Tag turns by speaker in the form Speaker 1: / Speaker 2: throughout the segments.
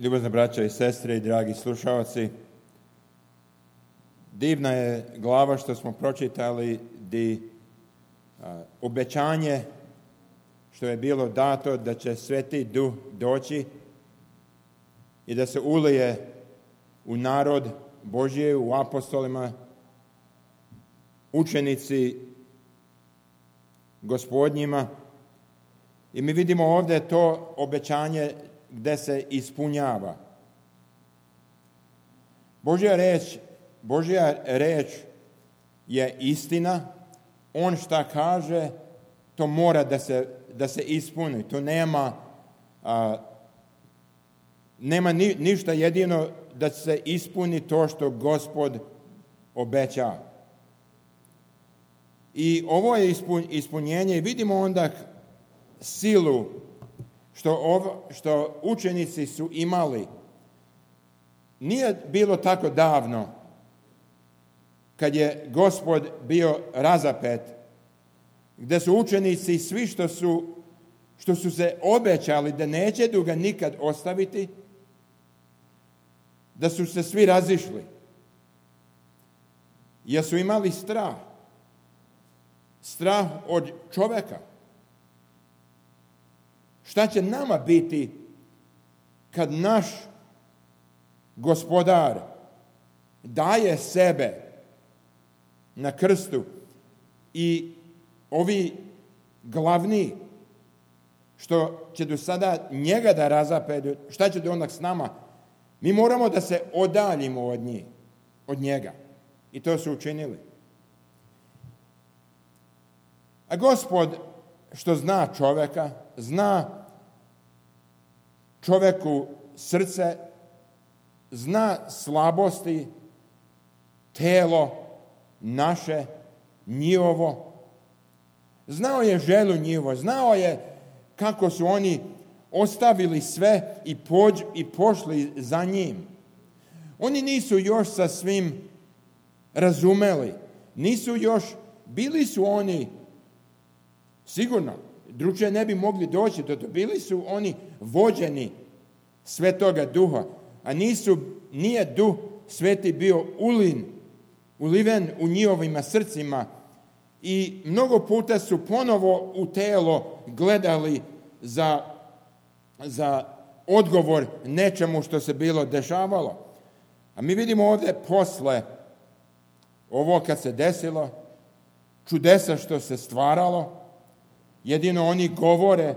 Speaker 1: Ljubazna braća i sestre i dragi slušalci, divna je glava što smo pročitali di obećanje što je bilo dato da će Sveti Duh doći i da se ulije u narod Božji, u apostolima, učenici Gospodnjima. I mi vidimo ovdje to obećanje gdje se ispunjava. Božja reč je istina. On šta kaže, to mora da se ispuni. To nema ništa jedino da se ispuni to što Gospod obeća. I ovo je ispunjenje i vidimo onda silu što učenici su imali. Nije bilo tako davno kad je Gospod bio razapet, gdje su učenici svi što su se obećali da neće ga nikad ostaviti, da su se svi razišli. Jer su imali strah od čovjeka. Šta će nama biti kad naš Gospodar daje sebe na krstu i ovi glavni što će do sada njega da razapedu, šta će do onda s nama? Mi moramo da se odaljimo od njega. I to su učinili. A Gospod što zna čovjeka, zna čovjeku srce, zna slabosti, telo naše, njihovo. Znao je želju njihovo, znao je kako su oni ostavili sve i pošli za njim. Oni nisu još sa svim razumeli. Bili su oni, sigurno, drugčije ne bi mogli doći, bili su oni vođeni Svetoga Duha, a nije Duh Sveti bio uliven u njihovima srcima i mnogo puta su ponovo u telo gledali za odgovor nečemu što se bilo dešavalo. A mi vidimo ovdje posle ovo kad se desilo, čudesa što se stvaralo, jedino oni govore,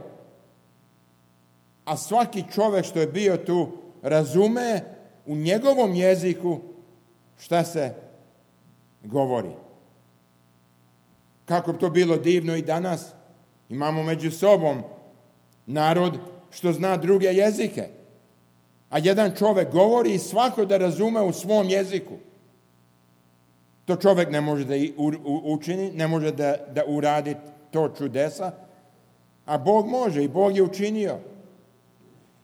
Speaker 1: a svaki čovjek što je bio tu razume u njegovom jeziku šta se govori. Kako bi to bilo divno i danas. Imamo među sobom narod što zna druge jezike. A jedan čovjek govori i svako da razume u svom jeziku. To čovjek ne može da učini, ne može da uradi to čudesa, a Bog može i Bog je učinio.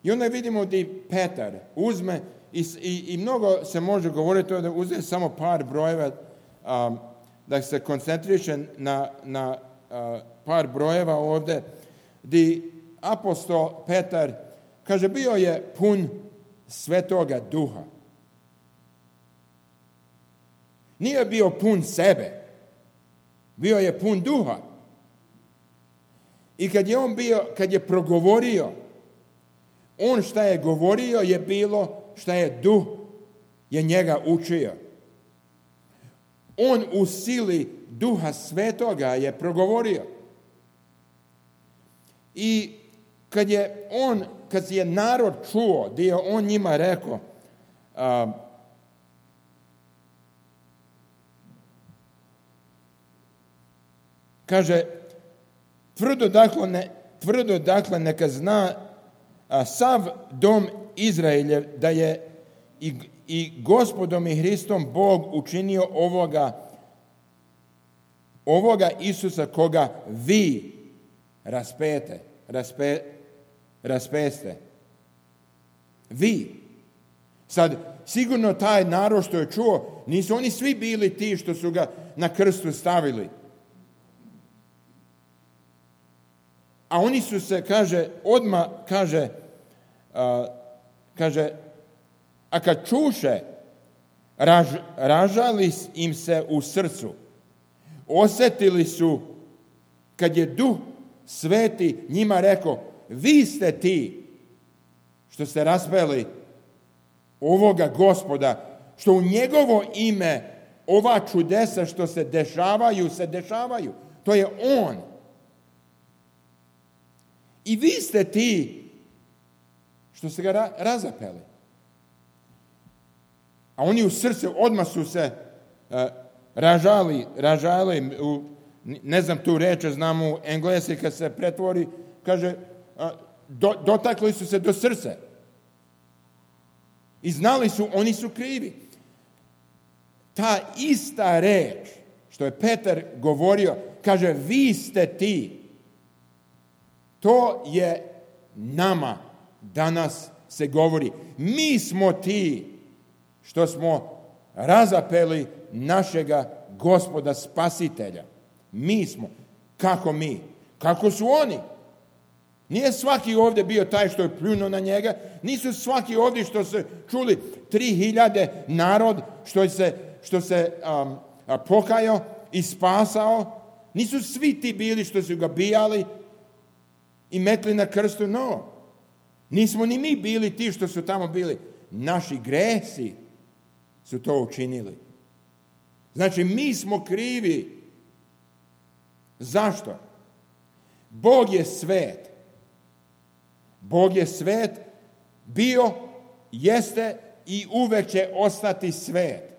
Speaker 1: I onda vidimo da Petar uzme i mnogo se može govoriti da uzme samo par brojeva, da se koncentriše na par brojeva ovdje, gdje apostol Petar kaže bio je pun Svetoga Duha. Nije bio pun sebe, bio je pun Duha. I kad je progovorio, on šta je govorio je bilo šta je Duh je njega učio. On u sili Duha Svetoga je progovorio. I kad je narod čuo, gdje je on njima rekao, kaže, tvrdo dakle neka zna sav dom Izraeljev da je i Gospodom i Hristom Bog učinio ovoga Isusa koga vi raspeste. Vi. Sad, sigurno taj narod što je čuo, nisu oni svi bili ti što su ga na krstu stavili. A oni su se, odmah kaže, a kad čuše, ražali im se u srcu. Osjetili su, kad je Duh Sveti njima rekao, vi ste ti što ste raspeli ovoga Gospoda, što u njegovo ime ova čudesa što se dešavaju. To je on. I vi ste ti što ste ga razapeli. A oni u srcu odmah su se ražali, ne znam tu reč, znam u engleski kad se pretvori, kaže, dotakli su se do srca. I znali su, oni su krivi. Ta ista reč što je Petar govorio, kaže, vi ste ti. To je nama danas se govori. Mi smo ti što smo razapeli našega Gospoda Spasitelja. Mi smo. Kako mi? Kako su oni? Nije svaki ovdje bio taj što je pljunuo na njega. Nisu svaki ovdje što su čuli 3000 narod što se pokajao i spasao. Nisu svi ti bili što su ga bijali i metli na krstu. No. Nismo ni mi bili ti što su tamo bili. Naši gresi su to učinili. Znači, mi smo krivi. Zašto? Bog je svet. Bog je svet, bio, jeste i uvek će ostati svet.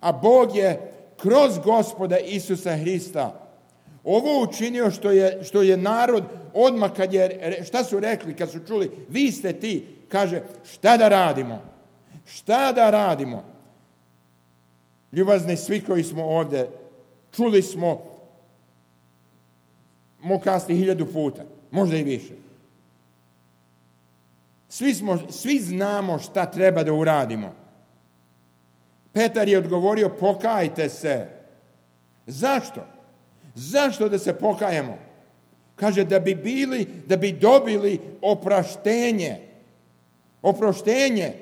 Speaker 1: A Bog je kroz Gospoda Isusa Hrista ovo učinio što je narod odmah šta su rekli kad su čuli, vi ste ti, kaže, šta da radimo? Šta da radimo? Ljubazni svi koji smo ovdje, čuli smo, mogu kazati 1000 puta, možda i više. Svi znamo šta treba da uradimo. Petar je odgovorio, pokajte se. Zašto? Zašto da se pokajemo? Kaže, da bi dobili oproštenje. Oproštenje.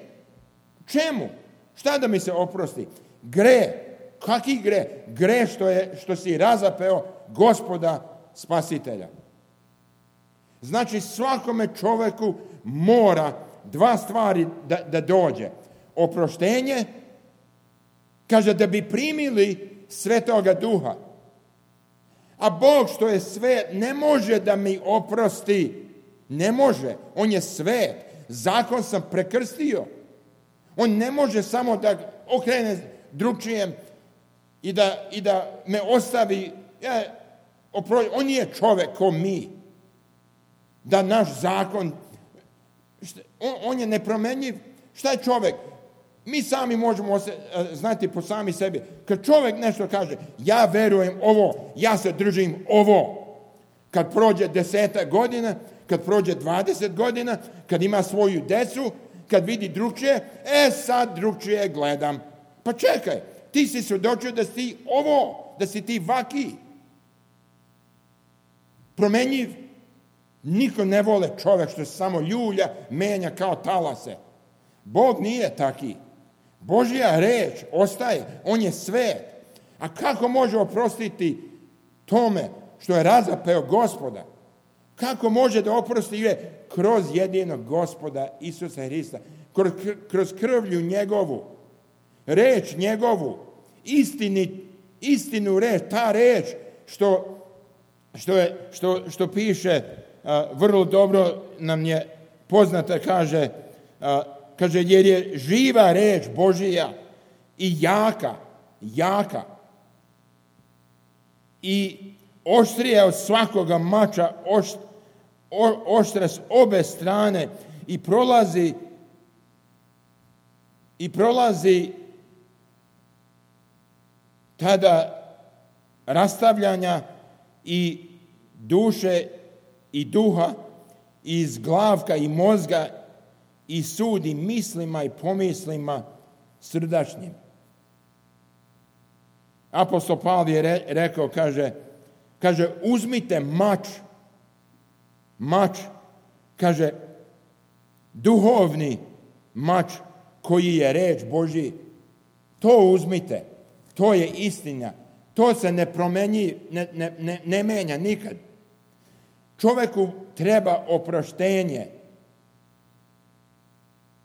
Speaker 1: Čemu? Šta da mi se oprosti? Gre. Kaki gre? Gre što si razapeo Gospoda Spasitelja. Znači, svakome čoveku mora 2 stvari da dođe. Oproštenje, kaže, da bi primili Svetoga Duha. A Bog što je svet ne može da mi oprosti. Ne može. On je svet. Zakon sam prekrstio. On ne može samo da okrene drugčijem i da me ostavi. On nije čovjek ko mi. Da naš zakon, on je nepromenjiv. Šta je čovjek? Mi sami možemo znati po sami sebi. Kad čovjek nešto kaže, ja verujem ovo, ja se držim ovo. Kad prođe 10 godina, kad prođe 20 godina, kad ima svoju decu, kad vidi drugčije, sad drugčije gledam. Pa čekaj, ti si svjedočio da si ti ovo, da si ti vaki. Promenjiv. Niko ne vole čovjek što se samo ljulja, menja kao talase. Bog nije taki. Božja reč ostaje, on je svet. A kako može oprostiti tome što je razapeo Gospoda? Kako može da oprosti kroz jedinog Gospoda Isusa Hrista, kroz krvlju njegovu, reč njegovu, istinu reč, ta reč što piše, vrlo dobro nam je poznata, kaže, jer je živa reč Božija i jaka i oštrija od svakoga mača, oštra s obe strane i prolazi tada rastavljanja i duše i duha, i iz glavka i mozga, i sudi mislima i pomislima srdačnim. Apostol Pavle je rekao, kaže, uzmite mač, kaže, duhovni mač koji je reč Božji. To uzmite. To je istina. To se ne menja nikad. Čovjeku treba oproštenje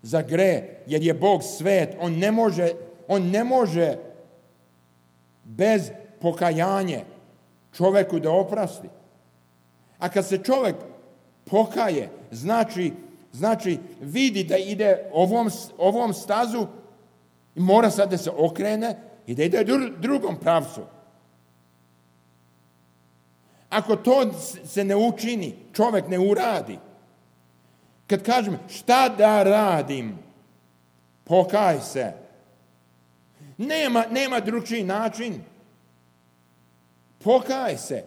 Speaker 1: za greh, jer je Bog svet. On ne može bez pokajanja čovjeku da oprosti. A kad se čovjek pokaje, znači vidi da ide ovom stazu i mora sad da se okrene i da ide drugom pravcu. Ako to se ne učini, čovjek ne uradi. Kad kažem šta da radim, pokaj se. Nema drugčiji način. Pokaj se.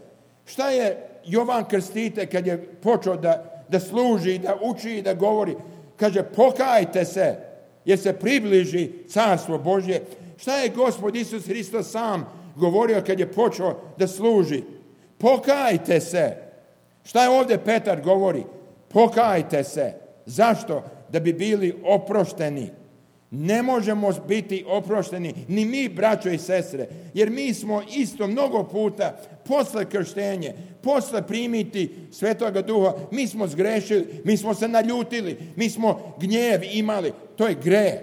Speaker 1: Šta je Jovan Krstitelj kad je počeo da služi, da uči, da govori? Kaže, pokajte se, jer se približi carstvo Božje. Šta je Gospod Isus Hristos sam govorio kad je počeo da služi? Pokajte se. Šta je ovdje Petar govori? Pokajte se. Zašto? Da bi bili oprošteni. Ne možemo biti oprošteni, ni mi, braćo i sestre, jer mi smo isto mnogo puta posle krštenja, posle primiti Svetoga Duha, mi smo zgrešili, mi smo se naljutili, mi smo gnjev imali. To je greh.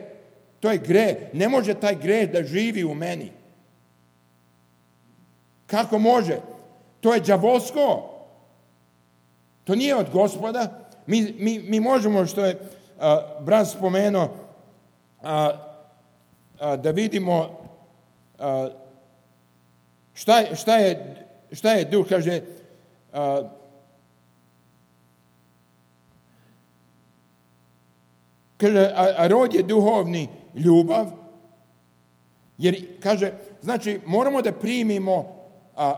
Speaker 1: To je greh. Ne može taj greh da živi u meni. Kako može? To je đavolsko. To nije od Gospoda. Mi možemo, što je brat spomenuo, da vidimo šta je duh, kaže, a rod je duhovni ljubav, jer, kaže, znači moramo da primimo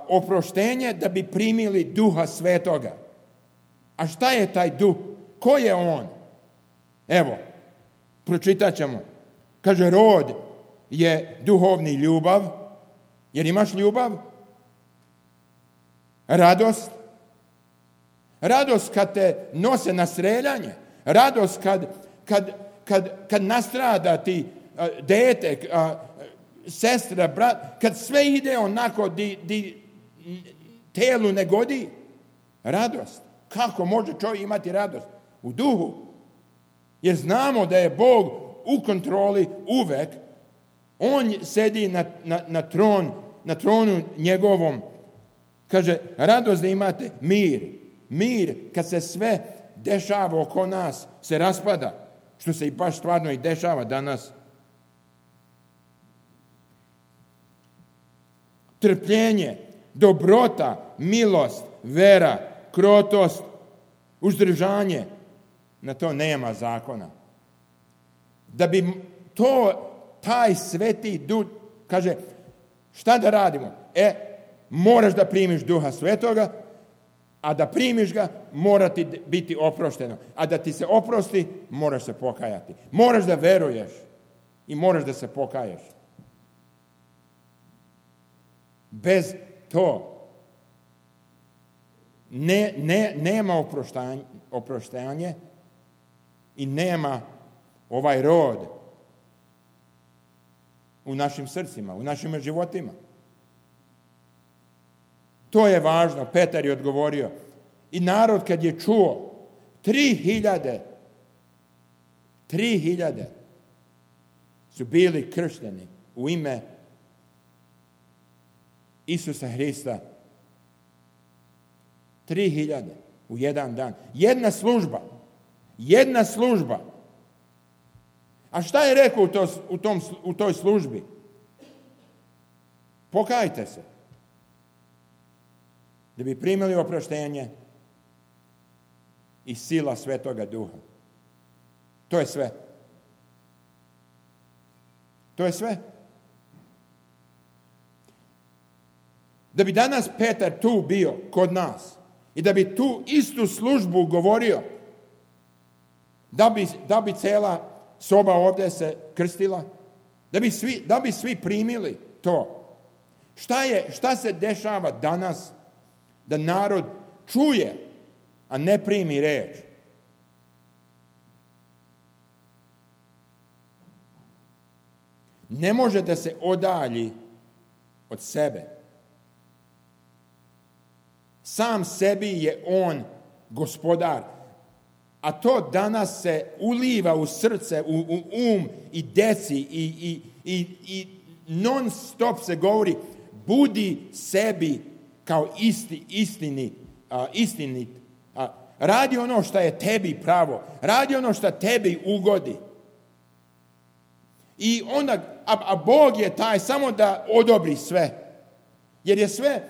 Speaker 1: oproštenje da bi primili Duha Svetoga. A šta je taj duh? Ko je on? Evo, pročitat ćemo. Kaže, rod je duhovni ljubav. Jer imaš ljubav? Radost. Radost kad te nose na streljanje. Radost kad nastrada ti dete, sestra, brat. Kad sve ide onako di telu ne godi. Radost. Kako može čovjek imati radost? U duhu. Jer znamo da je Bog u kontroli uvek. On sedi na tronu njegovom. Kaže, radost da imate mir. Mir kad se sve dešava oko nas, se raspada. Što se i baš stvarno i dešava danas. Trpljenje, dobrota, milost, vera, krotost, uzdržanje. Na to nema zakona. Da bi taj sveti duh, kaže, šta da radimo? Moraš da primiš Duha Svetoga, a da primiš ga, mora ti biti oprošteno. A da ti se oprosti, moraš se pokajati. Moraš da veruješ i moraš da se pokaješ. Bez to nema oproštanje i nema ovaj rod u našim srcima, u našim životima. To je važno. Petar je odgovorio. I narod kad je čuo, 3.000 su bili kršteni u ime Isusa Hrista. 3.000 u jedan dan. Jedna služba. A šta je rekao u toj službi? Pokajte se. Da bi primili oproštenje i sila Svetoga Duha. To je sve. To je sve. Da bi danas Petar tu bio kod nas i da bi tu istu službu govorio, da bi cela soba ovdje se krstila, da bi svi primili to. Šta se dešava danas da narod čuje, a ne primi reč? ne može da se odalji od sebe. Sam sebi je on gospodar. A to danas se uliva u srce, u um i deci i non stop se govori budi sebi kao istinit. Radi ono što je tebi pravo. Radi ono što tebi ugodi. I onda, a Bog je taj samo da odobri sve. Jer je sve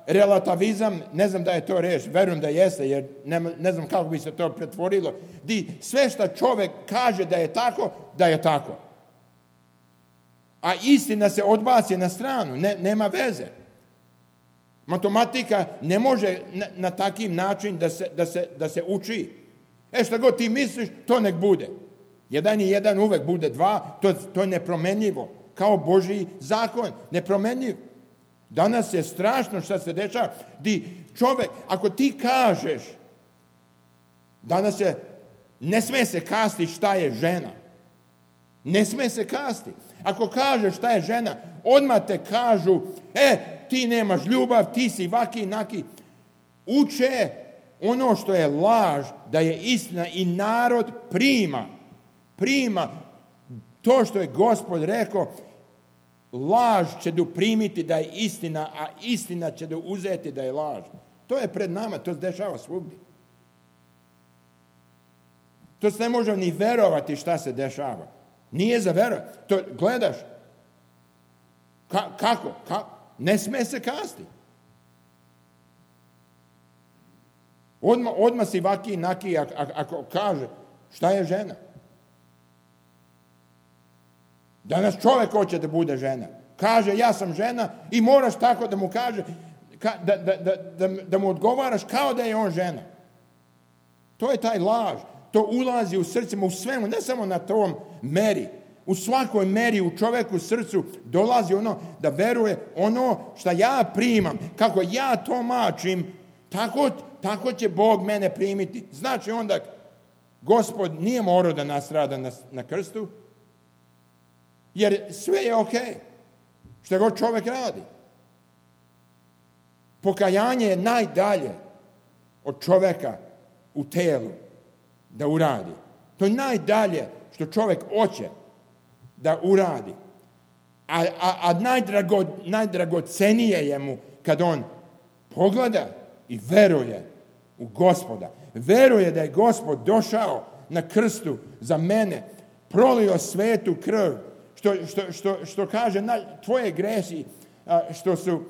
Speaker 1: relativizam, ne znam da je to reč, verujem da jeste, jer ne znam kako bi se to pretvorilo, di sve što čovjek kaže da je tako. A istina se odbaci na stranu, nema veze. Matematika ne može na takav način da se uči. Što god ti misliš, to nek bude. 1 i 1 uvek bude 2, to je nepromenljivo. Kao Božji zakon, nepromenljiv. Danas je strašno što se dešava. Čovjek, ako ti kažeš, danas ne sme se kasti šta je žena. Ne sme se kasti. Ako kažeš šta je žena, odmah te kažu, ti nemaš ljubav, ti si vaki, naki. Uče ono što je laž, da je istina i narod prima to što je Gospod rekao, laž će primiti da je istina, a istina će uzeti da je laž. To je pred nama, to se dešava svugdje. To se ne može ni verovati šta se dešava. Nije za verovati. To gledaš. Kako? Ne sme se kasti. Odmah si vaki naki ako kaže šta je žena. Danas čovjek hoće da bude žena. Kaže ja sam žena i moraš tako da mu kaže da mu odgovaraš kao da je on žena. To je taj laž. To ulazi u srcima, u svemu, ne samo na tom meri. U svakoj meri u čovjeku srcu dolazi ono da veruje ono što ja primam, kako ja to mačim, tako će Bog mene primiti. Znači onda Gospod nije morao da nastrada na krstu, jer sve je ok, što god čovjek radi. Pokajanje je najdalje od čovjeka u telu da uradi. To je najdalje što čovjek hoće da uradi. A najdragocenije je mu kad on pogleda i veruje u Gospoda. Veruje da je Gospod došao na krstu za mene, prolio svetu krv, što kaže tvoje gresi, što su,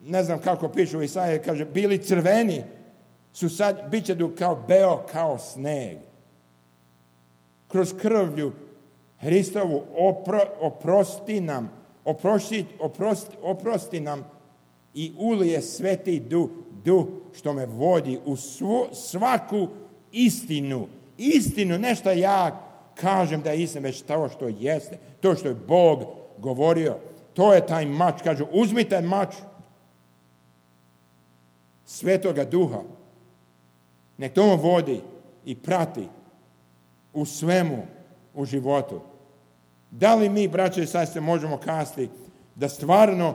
Speaker 1: ne znam kako piše u Isaiji, kaže, bili crveni, su sad, bit će kao beo, kao sneg. Kroz krvlju Hristovu oprosti nam i ulije sveti duh što me vodi u svaku istinu. Istinu, nešto ja kažem da je istina, već to što jeste, to što je Bog govorio. To je taj mač, kaže, uzmite mač Svetoga Duha. Nek to vodi i prati u svemu u životu. Da li mi, braće i sestre, možemo kazati da stvarno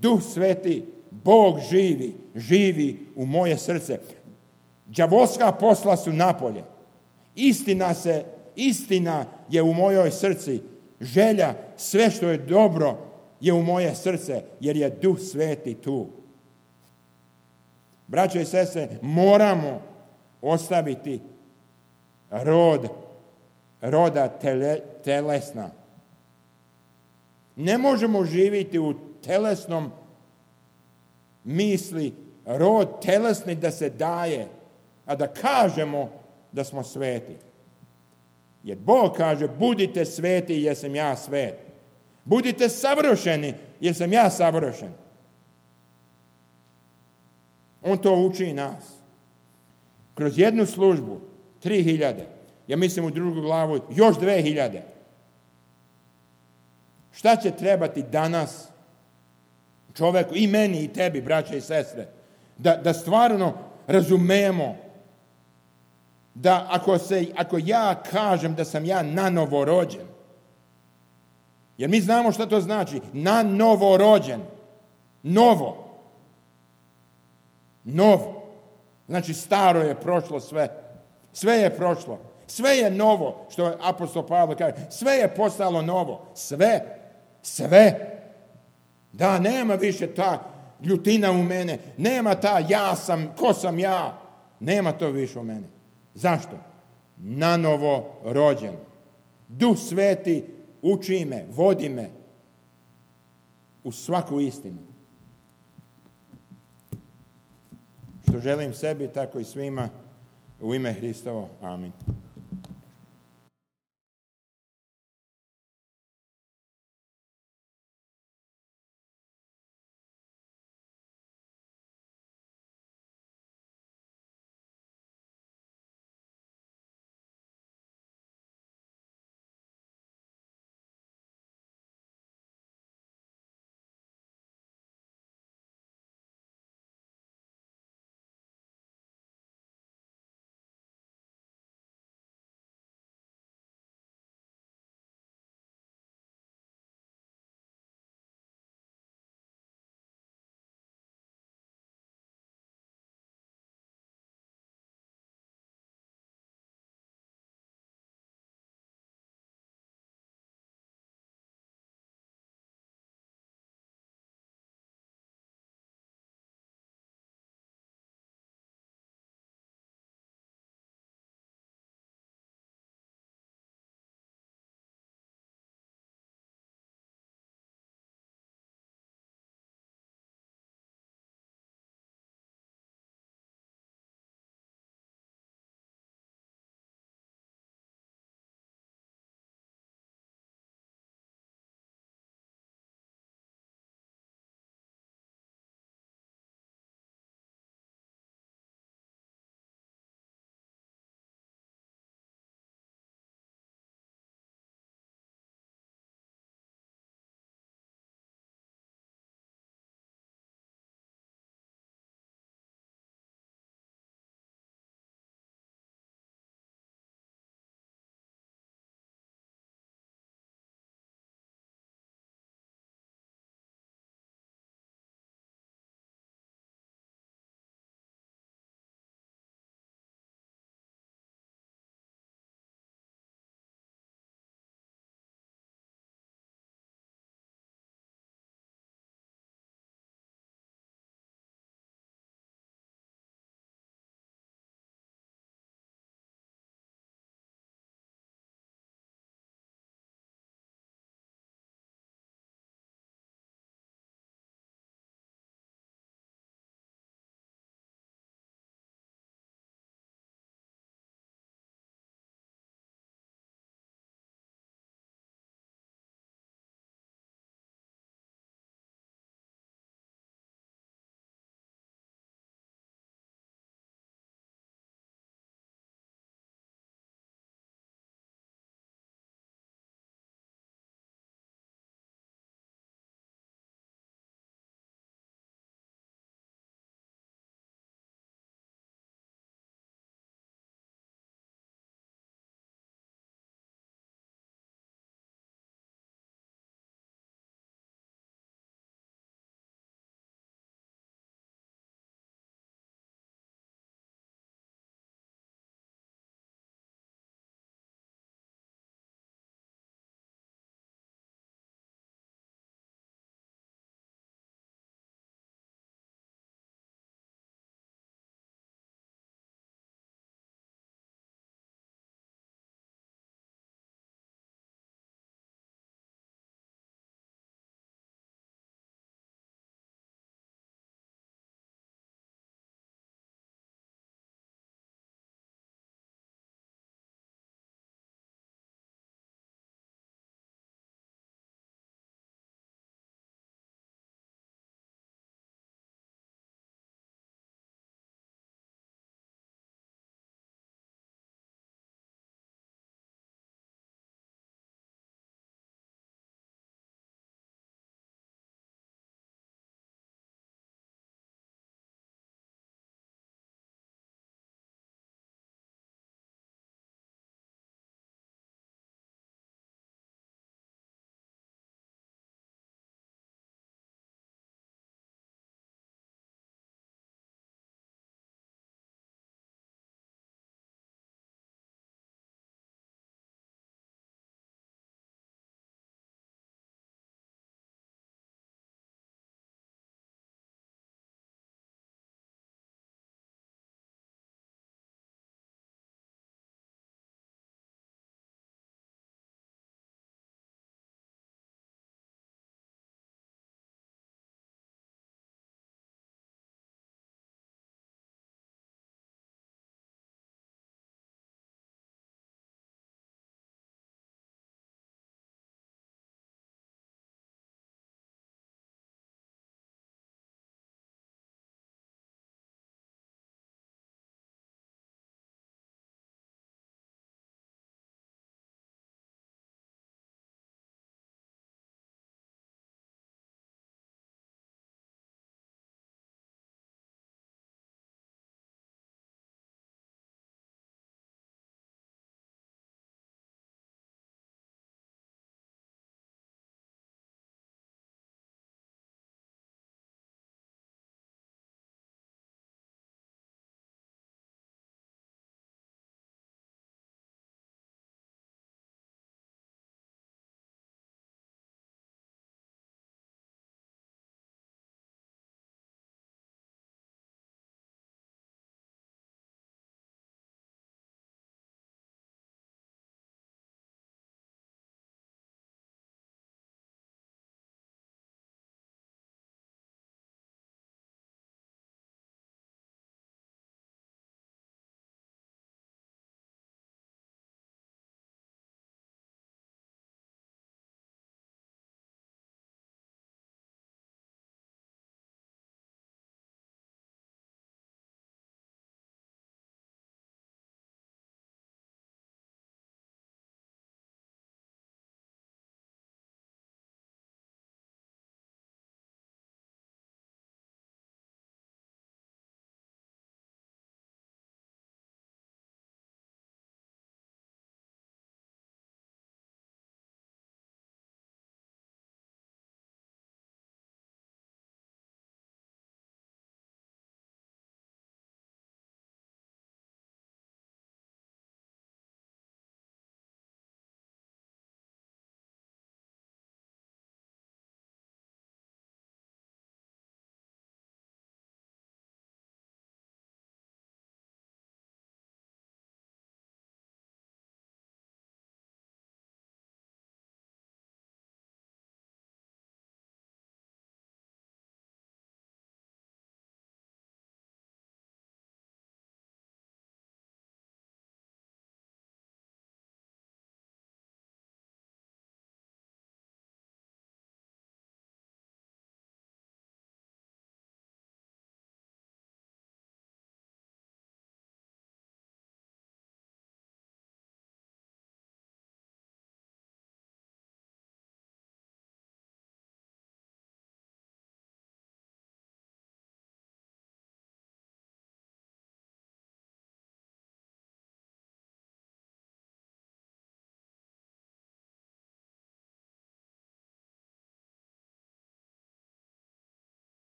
Speaker 1: Duh Sveti, Bog živi u moje srce. Đavolska posla su napolje. Istina je u mojoj srci. Želja, sve što je dobro je u moje srce, jer je Duh Sveti tu. Braće i sestre, moramo ostaviti roda telesna. Ne možemo živjeti u telesnom misli, rod telesni da se daje, a da kažemo da smo sveti. Jer Bog kaže, budite sveti jer sam ja svet. Budite savršeni jer sam ja savršen. On to uči nas. Kroz jednu službu, 3000. Ja mislim u drugu glavu, još 2000. Šta će trebati danas čoveku, i meni i tebi, braće i sestre, da stvarno razumemo da ako ja kažem da sam ja nanovo rođen, Jer mi znamo šta to znači. Na novo rođen. Novo. Novo. Znači staro je prošlo sve. Sve je prošlo. Sve je novo, što je apostol Pavle kaže. Sve je postalo novo. Sve. Da, nema više ta ljutina u mene. Nema ta ja sam, ko sam ja. Nema to više u mene. Zašto? Nanovo rođen. Duh Sveti uči me, vodi me u svaku istinu. Što želim sebi, tako i svima, u ime Hristovo. Amin.